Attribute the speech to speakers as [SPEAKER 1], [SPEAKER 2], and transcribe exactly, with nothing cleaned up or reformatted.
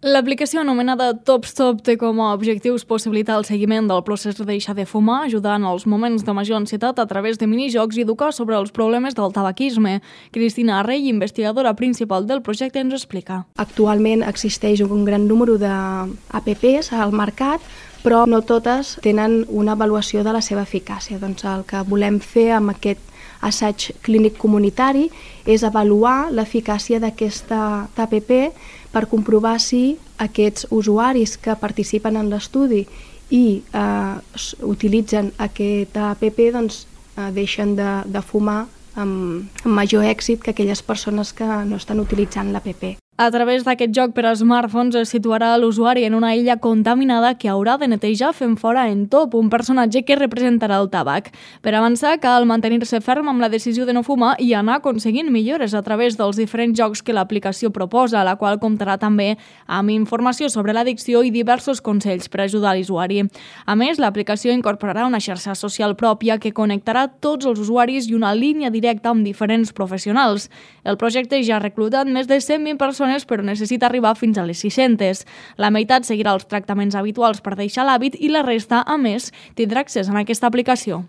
[SPEAKER 1] L'aplicació anomenada TopStop té com a objectius possibilitar el seguiment del procés de deixar de fumar, ajudar en els moments de major ansietat a través de minijocs i educar sobre els problemes del tabaquisme. Cristina Arrey, investigadora principal del projecte, ens explica.
[SPEAKER 2] Actualment existeix un gran número d'apps al mercat, però no totes tenen una avaluació de la seva eficàcia. Doncs el que volem fer amb aquest assaig clínic comunitari és avaluar l'eficàcia d'aquesta app per comprovar si aquests usuaris que participen en l'estudi i eh, utilitzen aquesta app doncs, eh, deixen de, de fumar amb, amb major èxit que aquelles persones que no estan utilitzant l'app.
[SPEAKER 1] A través d'aquest joc per a smartphones es situarà l'usuari en una illa contaminada que haurà de netejar fent fora en Top, un personatge que representarà el tabac. Per avançar, cal mantenir-se ferm amb la decisió de no fumar i anar aconseguint millores a través dels diferents jocs que l'aplicació proposa, la qual comptarà també amb informació sobre l'addicció i diversos consells per ajudar l'usuari. A més, l'aplicació incorporarà una xarxa social pròpia que connectarà tots els usuaris i una línia directa amb diferents professionals. El projecte ja ha reclutat més de cent vint persones, però necessita arribar fins a les sis-centes. La meitat seguirà els tractaments habituals per deixar l'hàbit i la resta, a més, tindrà accés a aquesta aplicació.